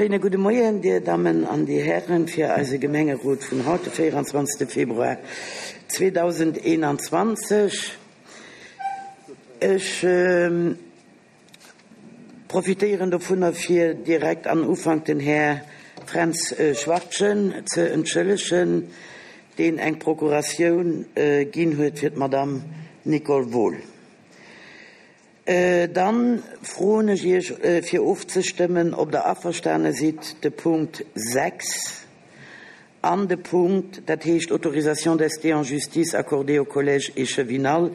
Schéine gudde Moien, Dir Dammen an Dir Hären, fir eise Gemengerot vun haut, de 24. Februar 2021. Ech profitéieren dovunner, fir direkt an Ufank den Här Fränz Schwachtgen ze entschëllegen, deen eng Procuratioun ginn huet fir d'Madame Nicole Wohl. Dann froen ech Iech fir ofzestëmmen, ob Der averstane sidd, de Punkt 6 an de Punkt, dat heescht Autorisation d'ester en justice accordée au collège échevinal,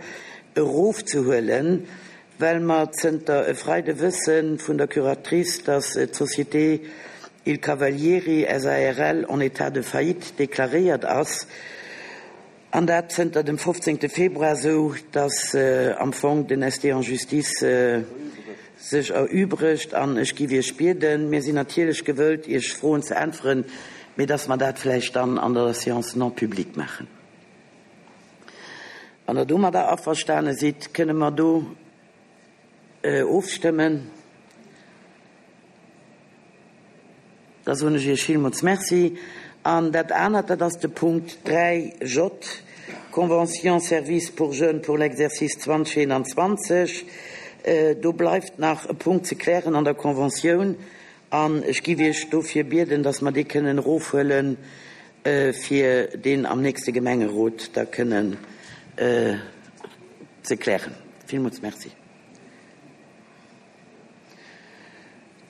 erofzehuelen, well mer zënter e Freide wësse vun der Curatrice, dass d'Société Il Cavalieri SARL en état de faillite déclaréiert ass. An dat zënter dem 15. Februar, esou datt am Fong den ST en Justice sech erübregt. An ech giff Iech bieden, mir sinn natierlech gewëllt, Iech Froen ze äntweren, mee datt mer dat vläicht dann an der Séance non publique maachen. Wann Der domadder averstane sidd, kënne mer do Ofstëmmen. Da soen ech Iech villmools Merci. An dat anert, dat ass de Punkt 3 J, Convention services pour jeunes pour l'exercice 2021. Do bleift nach e Punkt ze klären an der Conventioun. An ech giff Iech dofir bieden, dass mer dee kënnen erofhuelen, fir deen am nächste Gemengerot da kënnen ze klären. Villmools Merci.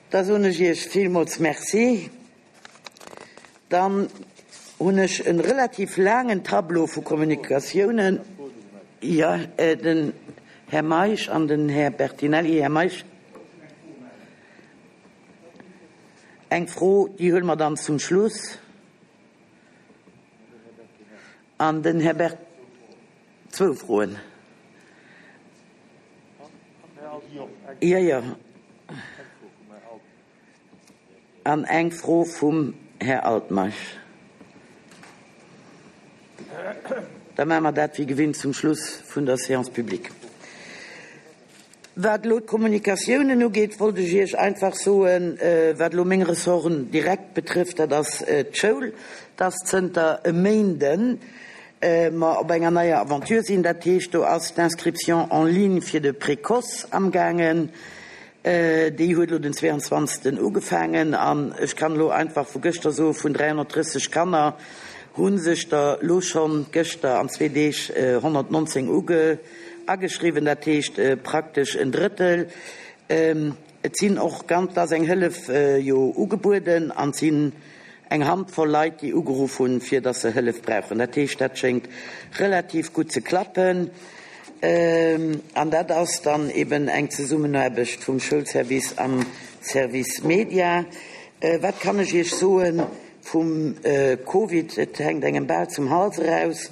Da soen ech Iech villmools Merci. Dann hunn ech e relativ laangen Tableau vu Kommunikatiounen. Jo, den Här Meisch an den Här Bertinelli. Här Meisch. Eng Fro, déi huele mer dann zum Schluss. An den Här Bert. Zwou Froen. Jo, jo. An eng Fro vum Här Altmeisch. Da maache mer dat wéi gewinnt zum Schluss vun der Séance publique. Wat elo d'Kommunikatiounen ugeet, wollt ech Iech einfach soen, wat elo meng Ressorten direkt betrëfft, dat ass d'Schoul, dass zënter e Méinden mer op enger neier Aventure sinn. Dat heescht, do ass d'Inscription en ligne fir de Précoce amgaangen. Déi huet elo den 22. ugefaangen an ech kann elo einfach vu gëschter soen, vun 330 Kanner hu sech der elo schonn gëschter an zwee Deeg 119 uge. Ageschriwwen, dat heescht praktesch en Drëttel. Et sinn och ganz, et ass eng Hëllef jo ugebueden an et sinn eng Handvoll Leit, déi ugeruff hunn, fir datt se Hëllef brauchen. Dat heescht, dat schéngt relativ gutt ze klappen. An dat ass dann eben eng Zesummenaarbecht vum Schoulservice am Service Media. Wat kann ech Iech soen? Vum Covid, et hänkt engem bal zum Hals eraus.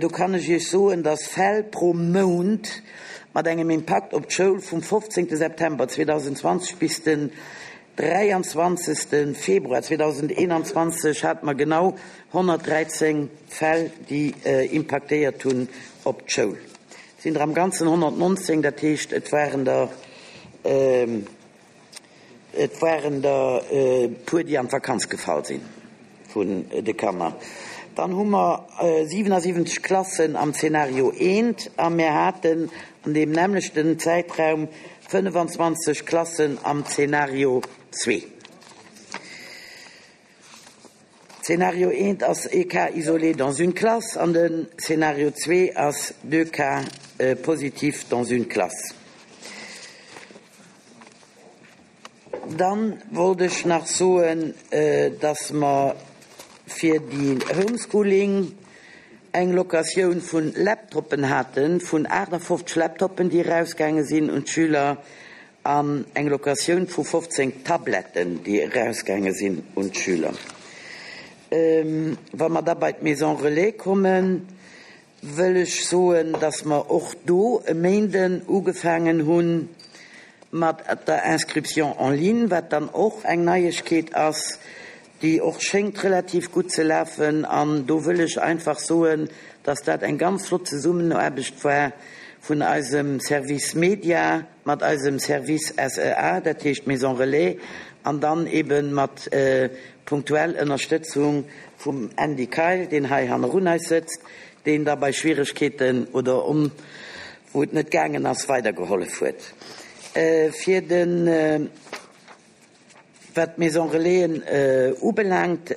Do kann ech Iech soen, dass Fäll pro Mount mat engem Impakt op d'Schoul vum 15 September 2020 bis den 23 Februar 2021 hate mer genau 113 Fäll, déi impaktéiert hunn op d'Schoul. Et sinn der am Ganzen 119, dat heescht et waren der, Et waren der e puer, déi an d'Vakanz gefall si vun de Kanner. Dann hu mer 77 Klassen am Zeenario eent a mir haten an deem nämmlechten Zäitraum 25 Klassen am Zeenario zwee. Zeenario eent ass ee Cas isolé dans une classe an den Zeenario zwee ass deux cas positifs dans une classe. Dann wollt ech nach soen, dass mer fir déi Homeschooling eng Locatioun vun Laptoppen haten, vun 58 Laptoppen, déi erausgaange sinn un d'Schüler, an eng Locatioun vu 15 Tabletten, déi erausgaange sinn un d'Schüler. Wa mer da bei d'Maison relais kommen, wëll ech soen, dass mer och do e Méinden ugefaangen hu mat der Inscription en ligne, wat dann och eng Neiegkeet ass, déi och schéngt relativ gutt ze lafen. An do wëll ech einfach soen, dass dat eng ganz flott Zesummenaarbecht war vun eisem Service Media mat eisem Service SEA, dat heescht Maison Relais. An dann ebe mat punktuell Ënnerstëtzung vum Andy Keil, deen hei hannerun eis sëtzt, deen da bei Schwieregkeeten oder on wou et net gaangen ass, weidergehollef huet. Fir de wat d'Maison Relaisen ubelaangt,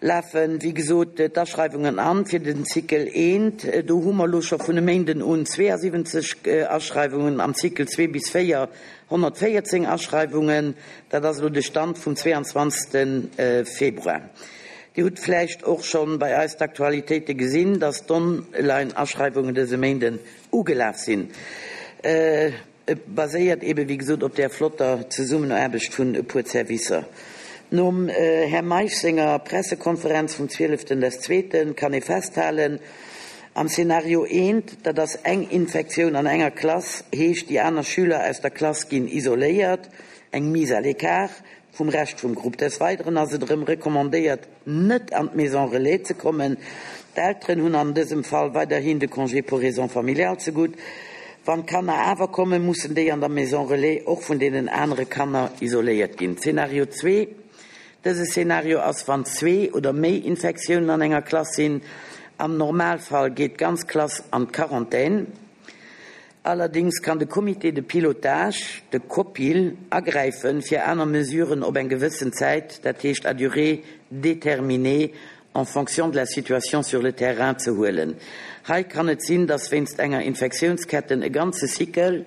Lafen, wéi gesot, d'Aschreiwungen an fir den Cycle I. Do hu mer elo scho vun e Méinden un 72 Aschreiwungen, am Cycle 2 bis 4 114 Aschreiwungen. Dat ass elo de Stand vum 22. Februar. Dir hutt vläicht och scho bei eis d'Aktualitéite gesinn, dass d'Online-Aschreiwungen dëse Méinden ugelaf sinn. Et baséiert eben, wéi gesot, op där flotter Zesummenaarbecht vun e puer Zerwisser. Nom Här Meisch senger Pressekonferenz vum zwieleften des zweeten kann ee festhalen, Am Szenario eent, dat ass eng Infektioun an enger Klass, heescht déi aner Schüler aus der Klass ginn isoléiert, eng Mise à l'écart vum Rescht vum Grupp. Des Weideren ass et erëm recommandéiert, net an d'Maison Relais ze kommen. D'Elteren hunn an dësem Fall weiderhin de Congé pour raisons familiales zegutt. Wann d'Kanner awer kommen, mussen déi an der Maison Relais och vun deenen anere Kanner isoléiert ginn. Zeenario zwee, Dëse Szenario ass, wann zwee oder méi Infektiounen an enger Klass sinn. Am Normalfall geet d'ganz Klass an d'Quarantän. Allerdings kann de Comité de pilotage, de COPIL, agräifen, fir aner Mesuren op eng gewëssen Zäit, dat heescht à durée déterminée, en fonction de la situation sur le terrain, ze huelen. Hei kann et sinn, dass wéinst enger Infektiounsketten e ganze Cycle,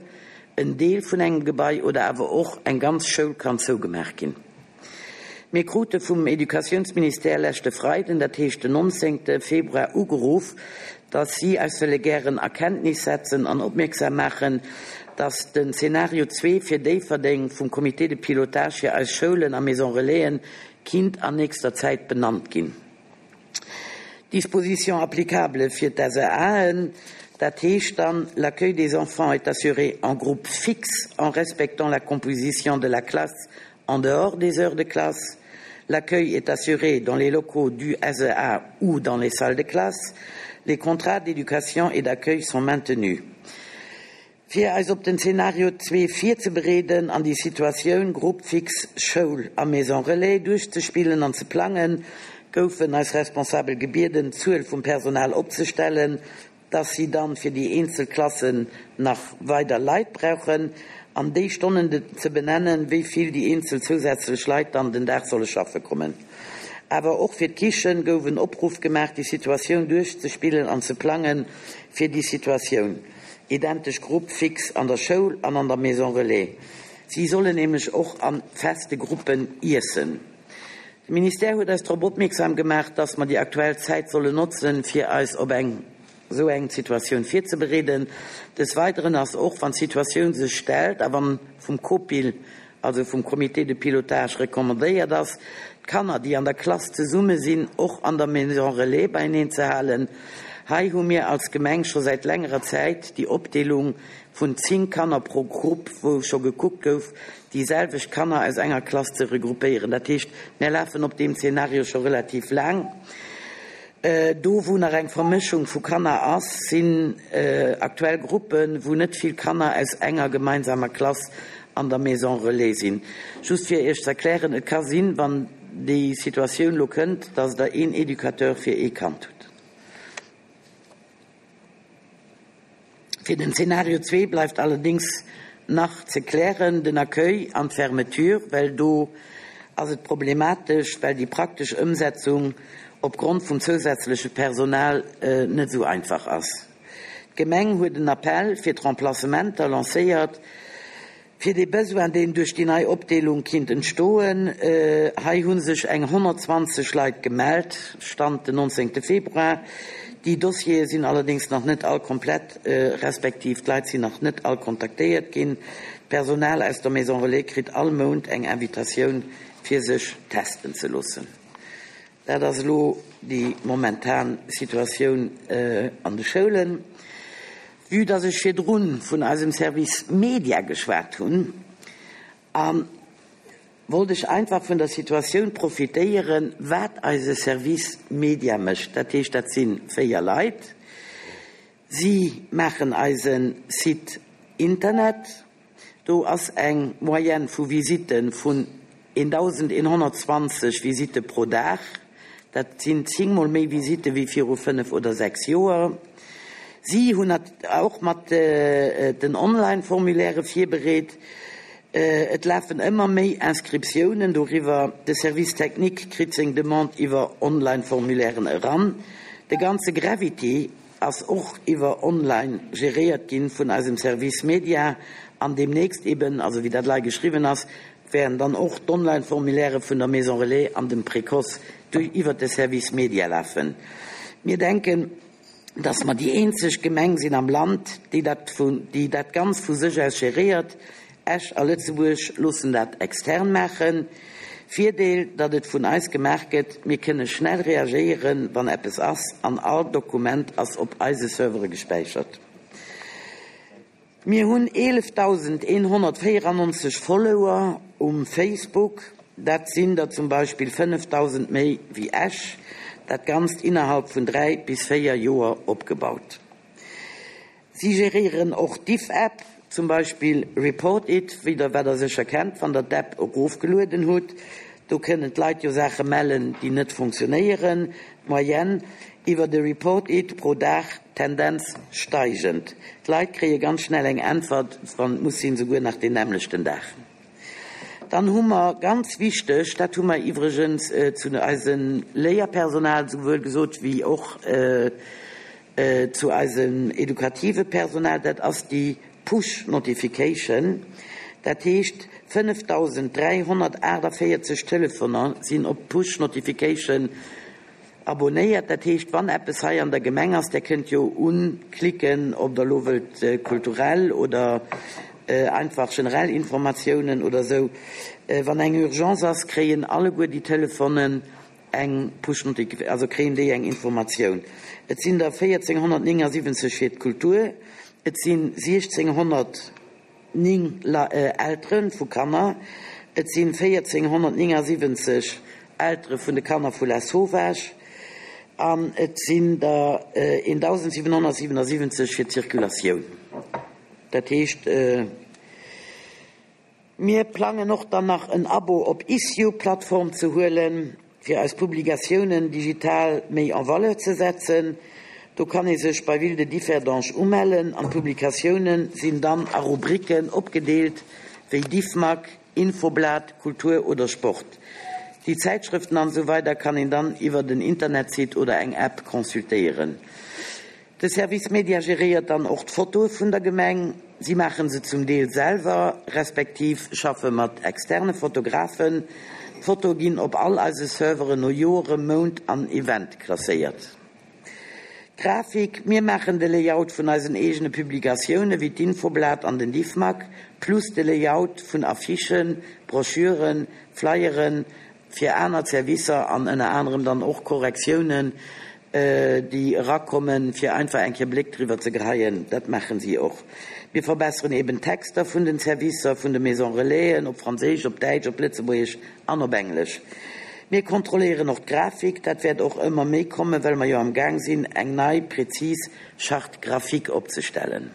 en Deel vun engem Gebai oder awer och eng ganz Schoul kann zougemaach ginn. Mir krute vum Educatiounsministère leschte Freiden, dat heescht den 19. Februar, ugeruff, dass si eis wëlle gären a Kenntnis setzen an opmierksam maachen, dass den Zeenario zwee fir Déifferdeng vum Comité de pilotage fir eis Schoulen a Maison Relaisen kinnt an nächster Zäit benannt ginn. Dispositions applicables fir d'SAAen, dat heescht dann, L'accueil des enfants est assuré en groupe fixe en respectant la composition de la classe en dehors des heures de classe. L'accueil est assuré dans les locaux du SEA ou dans les salles de classe. Les contrats d'éducation et d'accueil sont maintenus. Fir eis op den Zeenario 2 virzebereeden an déi Situatioun Groupe fixe Schoul a Maison Relais duerchzespillen an ze plangen, goufen eis Responsabel gebieden, d'Zuel vum Personal opzestellen, dass si dann fir déi eenzel Klassen nach weider Leit brauchen an déi Stonnen ze benennen, wéi vill déi eenzel zousätzlech Leit dann den Dag solle schaffe kommen. Awer och fir d'Kichen gouf en Opruff gemaach, déi Situatioun duerchzespillen an ze plangen fir déi Situatioun. Identesch Groupe fixe an der Schoul an an der Maison Relais. Si sollen nämlech och a feste Gruppen iessen. De Ministère huet eis drop opmierksam gemaach, dass mer déi aktuell Zäit sollen notzen, fir eis op eng esou eng Situatioun virzebereeden. Des Weideren ass och, wann d'Situatioun sech stellt a wann vum COPIL, also vum Comité de pilotage, recommandéiert ass, d'Kanner, déi an der Klass zesumme sinn, och an der Maison Relais beieneen ze halen. Hei hu mir als Gemeng scho säit längerer Zäit déi Opdeelung vun 10 Kanner pro Grupp, wou scho gekuckt gouf, déi selwecht Kanner aus enger Klass ze regroupéieren. Dat heescht, mär lafen op deem Zeenario scho relativ laang. Do, wou nach eng Vermëschung vu Kanner ass, sinn aktuell Gruppen, wou net vill Kanner aus enger gemeinsamer Klass an der Maison Relais sinn. Just fir Iech ze erklären, Et ka sinn, wann déi Situatioun elo kënnt, dass Der een Educateur fir ee Kand hutt. Fir den Zeenario zwee bleift allerdéngs nach ze klären, den Accueil an d'Fermeture, well do ass et problematesch, well déi praktesch Ëmsetzung opgrond vum zousätzleche Personal net esou einfach ass. D'Gemeng huet en Appell fir d'Remplacementer lancéiert. Fir dee Besoin, deen duerch déi nei Opdeelung kinnt entstoen, hei hu sech eng 120 Leit gemellt, Stand den 19 Februar. Déi Dossiere sinn allerdéngs nach net all komplett, respektiv d'Leit sinn nach net all kontaktéiert ginn. D'Personal aus der Maison Relais kritt all Mount eng Invitatioun, fir sech testen ze loossen. Dat ass elo déi momentan Situatioun an de Schoulen. Vue dass ech virdrun vun eisem Service Media geschwat hunn, a wollt ech einfach vun der Situatioun profitéieren, wat eise Service Media mécht. Dat heescht, dat si 4 Leit. Si maachen eise Site Internet. Do ass eng Moyenne vu Visitte vun 1.120 Visitte pro Dag. Dat sinn zéngmol méi Visitte wéi viru fënnef oder sechs Joer. Si hunn och mat den Online-Formulairë virbereet. Et lafen ëmmer méi Inscriptiounen doriwwer. De Service technique kritt seng Demande iwwer Online-Formulairen eran. De ganze Gravity ass och iwwer online geréiert ginn vun eisem Service Media an deemnächst eben, also wéi dat lei geschriwwen ass, wäerten dann och d'Online-Formulairë vun der Maison Relais an dem Précoce duerch iwwert de Service Media lafen. Mir denken, dass mer déi eenzeg Gemeng sinn am Land, déi dat vun, déi dat ganz vu sech aus geréiert. Esch a Lëtzebuerg loossen dat extern maachen. Virdeel, datt et vun eis gemaach gëtt, mir kënne schnell reagéieren, wann eppes ass, an all Dokument ass op eise Servere gespäichert. Mir hunn 11.194 Follower um Facebook, dat sinn der zum Beispill 5.000 méi wéi Esch. Dat Ganzt innerhalb vun 3 bis 4 Joer opgebaut. Si geréieren och d'Diff-App, zum Beispill Report It, wéi der wat der sécher kennt, wann der d'App erofgelueden hutt. Do kënnen d'Leit jo Saache mellen, déi net funktionéieren. D'Moyenne iwwer de Report It pro Dag, Tendenz steigend. D'Leit kréie ganz schnell eng Äntwert, wann et muss sinn, souguer nach deen nämmlechten Dag. Dann hu mer, ganz wichteg, dat hu mer iwwregens zu eisem Léierpersonal souwuel gesot wéi och zu eisem edukative Personal, dat ass déi Push Notification. Dat heescht, 5.348 Telefoner sinn op d'Push Notification abonéiert. Dat heescht, wann eppes hei an der Gemeng ass, Der kënnt jo unklicken, ob Der elo wëllt kulturell oder einfach generell Informatiounen oder esou. Wann eng Urgence ass, kréien alleguer déi Telefonen eng Push Notification, also kréien déi eng Informatioun. Et sinn der 1479 fir d'Kultur, et sinn 1609 Eltere vu Kanner, et sinn 1479 Eltere vun de Kanner vu Lasauvage an et sinn der 1777 fir d'Circulatioun. Dat heescht. Mir plangen och dann nach en Abo op Issue-Plattform ze huelen, fir eis Publikatiounen digital méi en valeur ze setzen. Do kann ee sech bei Ville de Differdange umellen an d'Publikatiounen sinn dann a Rubriken opgedeelt, wéi Diffmag, Infoblat, Kultur oder Sport. Déi Zäitschrëften an esou weider kann een dann iwwert en Internetsite oder eng App consultéieren. De Service Media geréiert dann och d'Fotoe vun der Gemeng. Si maachen se zum Deel selwer, respektiv schaffe mat externe Fotografen. D'Fotoe ginn op all eise Serveren no Joere, Mount an Event klasséiert. Grafik, Mir maachen de Layout vun eisen eegene Publikatioune wéi d'Infoblat an den Diffmag, plus de Layout vun Affichen, Broschüren, Flyeren fir aner Servicer an ënner anerem dann och Korrektiounen, déi erakommen, fir einfach eng Kéier Bléck driwwer ze geheien. Dat maachen si och. Mir verbesseren eben d'Texter vun den Servicer, vun de Maisons Relaisen, op Franséisch, op Däitsch, op Lëtzebuergesch an op Englesch. Mir kontrolléieren och d'Grafik. Dat wäert och ëmmer méi kommen, well mer jo am Gaang sinn, eng nei, prezis Charte graphique opzestellen.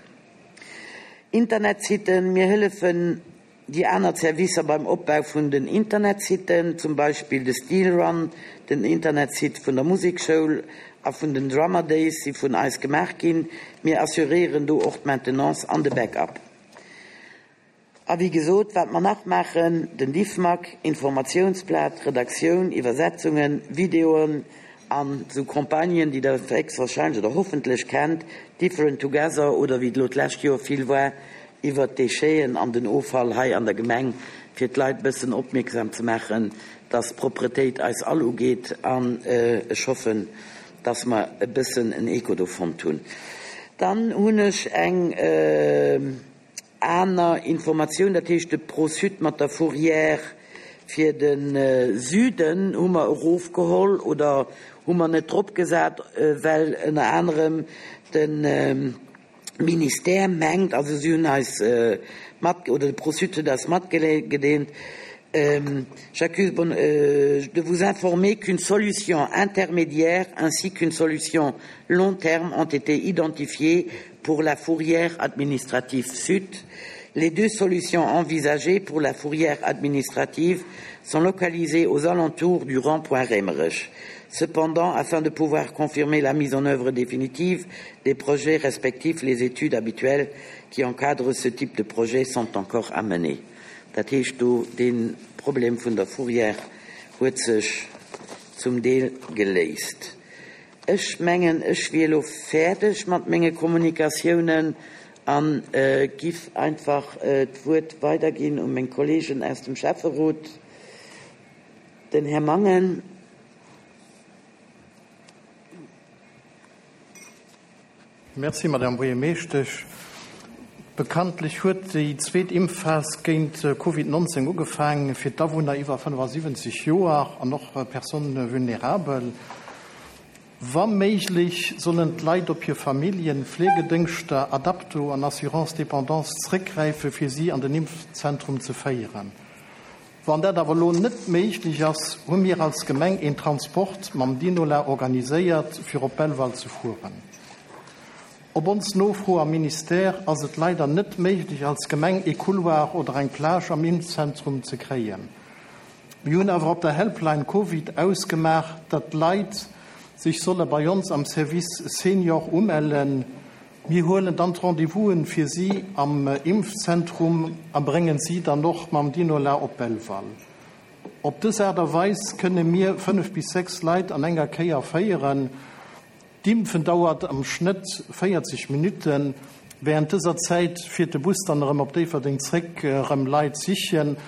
Internetsitten, Mir hëllefen Déi aner Servicer beim Opbau vun den Internetsitten, zum Beispill de Steel Run, den Internetsite vun der Musekschoul a vun den Drummer Days si vun eis gemaach ginn. Mir assuréieren do och d'Maintenance an de Backup. A wéi gesot, wat mer nach maachen, den Diffmag, Informatiounsblat, Redaktioun, Iwwersetzungen, Videoen an esou Campagnen, déi der héchstwahrscheinlech oder hoffentlech kennt, Different Together oder wéi et elo d'lescht Joer vill war, iwwert d'Décheten an den Offall hei an der Gemeng, fir d'Leit e bëssen opmierksam ze maachen, dass d'Propretéit eis all ugeet. An ech hoffen, dass mer e bëssen en Echo do fonnt hunn. Dann hunn ech eng aner Informatioun, dat heescht de Pro-Sud mat der Fourrière fir de Süden hu mer erofgeholl oder hu mer net dropgesat, well ënner anerem de Ministère mengt, also si hunn eis mat, oder de Pro-Sud huet eis matgedeelt, J'accuse bon de vous informer qu'une solution intermédiaire ainsi qu'une solution long terme ont été identifiées pour la fourrière administrative sud. Les deux solutions envisagées pour la fourrière administrative sont localisées aux alentours du rond-point Remerich. Cependant, afin de pouvoir confirmer la mise en œuvre définitive des projets respectifs, les études habituelles qui encadrent ce type de projet sont encore à mener. Dat heescht do, dee Problem vun der Fourrière huet sech zum Deel geléist. Ech mengen, ech wier elo fäerdeg mat menge Kommunikatiounen a giff einfach d'Wuert weiderginn u meng Kollegen aus dem Schäfferot, den Här Mangen. Merci, Madame Buergermeeschtesch. Bekanntlech huet déi zweet Impfphas géint Covid 19 ugefaang fir d'Awunner iwwer 75 Joer an och Personnes vulnérables. Wa méiglech sollen d'Leit op hir Familljen, Fleegedëngschter, Adapto an Assurance dépendance zréckgräife fir si an den Impfzentrum ze féieren. Wann dat awer elo net méiglech ass, hu mir als Gemeng een Transport mam Dinola organiséiert fir op Belval ze fueren. Op ons Nofro am Ministère ass et leider net méiglech als Gemeng ee Couloir oder eng Plage am Impfzentrum ze kréien. Mir hunn awer op der Helpline Covid ausgemaach, datt d'Leit sech solle bei ons am Service Senior umellen. Mir huelen dann d'Rendez-vousen fir si am Impfzentrum a bréngen si dann och mam Dinola op Belval. Op dës Aart a Weis kënne mir 5 bis 6 Leit an enger Kéier féieren. D'Impfen dauert am Schnëtt 40 Minutten. Wärend dëser Zäit fiert de Bus dann erëm op Déifferdeng zréck, erëm Leit sichen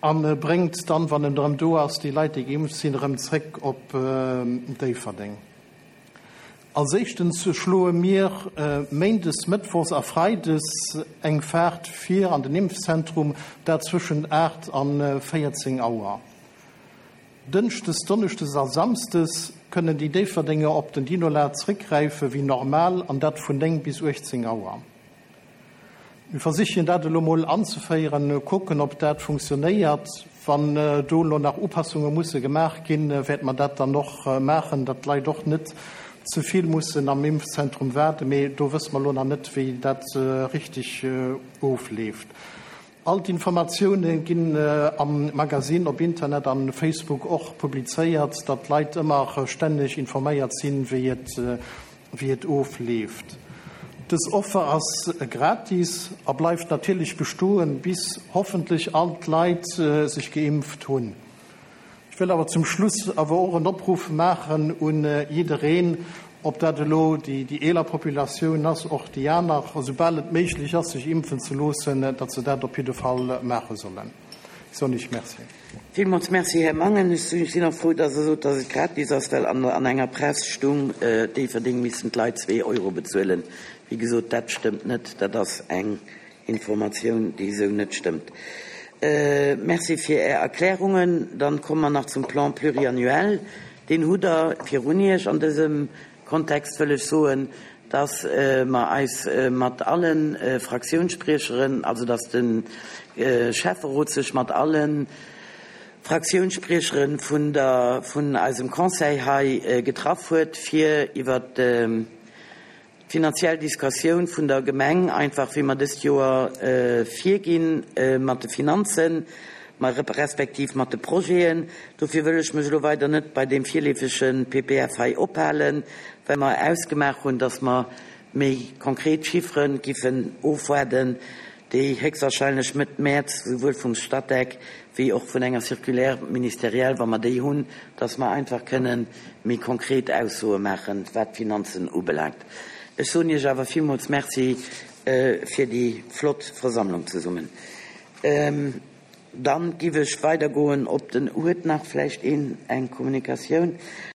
a bréngt dann, wann en erëm do ass, déi Leit, déi geimpft sinn, erëm zréck op Déifferdeng. Als éischtens schloe mir méindes, mëttwochs a freides eng Faart vir an den Impfzentrum, dat zwëschent 8 an 14 Auer. Dënschdes, donneschdes a samsdes kënnen déi Déifferdenger op den Dinola zréckgräife wéi normal an dat vun 9 bis 18 Auer. Mir versichen dat elo mol anzeféieren, kucken ob dat funktionéiert. Wann do elo nach Upassunge musse gemaach ginn, wäerte mer dat dann och maachen, datt d'Leit och net ze vill mussen am Impfzentrum waarden. Mee do wësse mer elo nach net, wéi dat richteg ofleeft. All d'Informatioune ginn am Magasinn, op Internet an Facebook och publizéiert, datt d'Leit ëmmer stänneg informéiert sinn, wéi et wéi et ofleeft. Dës Offer ass gratis a bleift natierlech bestoen, bis hoffentlech all d'Leit sech geimpft hunn. Ech wëll awer zum Schluss awer och en Opruff maachen un jiddereen, ob dat elo déi eeler Populatioun ass, och déi aner, esoubal et méiglech ass, sech impfen ze loossen, datt se dat op jidde Fall maache sollen. Ech soen Iech Merci. Villmools Merci, Här Mangen. Ech sinn och frou, datt Der sot, datt et gratis ass, well an enger Press stung, Déifferdeng missten d'Leit zwee Euro bezuelen. Wéi gesot, dat stëmmt net. Dat ass eng Informatioun, déi esou net stëmmt. Merci fir Är Erklärungen. Dann komme mer nach zum Plan pluriannuel. Deen hutt Der virun Iech. An dësem Kontext wëll ech soen, dass mer eis mat alle Fraktiounsspriecheren, also dass de Schäfferot sech mat alle Fraktiounsspriecheren vun der, vun eisem Conseil hei getraff huet, fir iwwert D'finanziell Discussioun vun der Gemeng, einfach wéi mer dëst Joer virginn mat de Finanzen, ma respektiv mat de Projeten. Dofir wëll ech mech elo weider net bei deem virleefege PPF hei ophalen, well mer ausgemaach hunn, dass mer méi konkret Chiffere giffen ofwaarden, déi héchstwahrscheinlech Mëtt Mäerz souwuel vum Statec wéi och vun enger Circulaire ministérielle, wa mer déi hunn, dass mer einfach kënnen méi konkret Aussoe maachen, wat d'Finanzen ubelaangt. Ech soen Iech awer villmools Merci fir déi flott Versammlung zesummen. Dann giff ech weidergoen op den, huet nach vläicht een eng Kommunikatioun?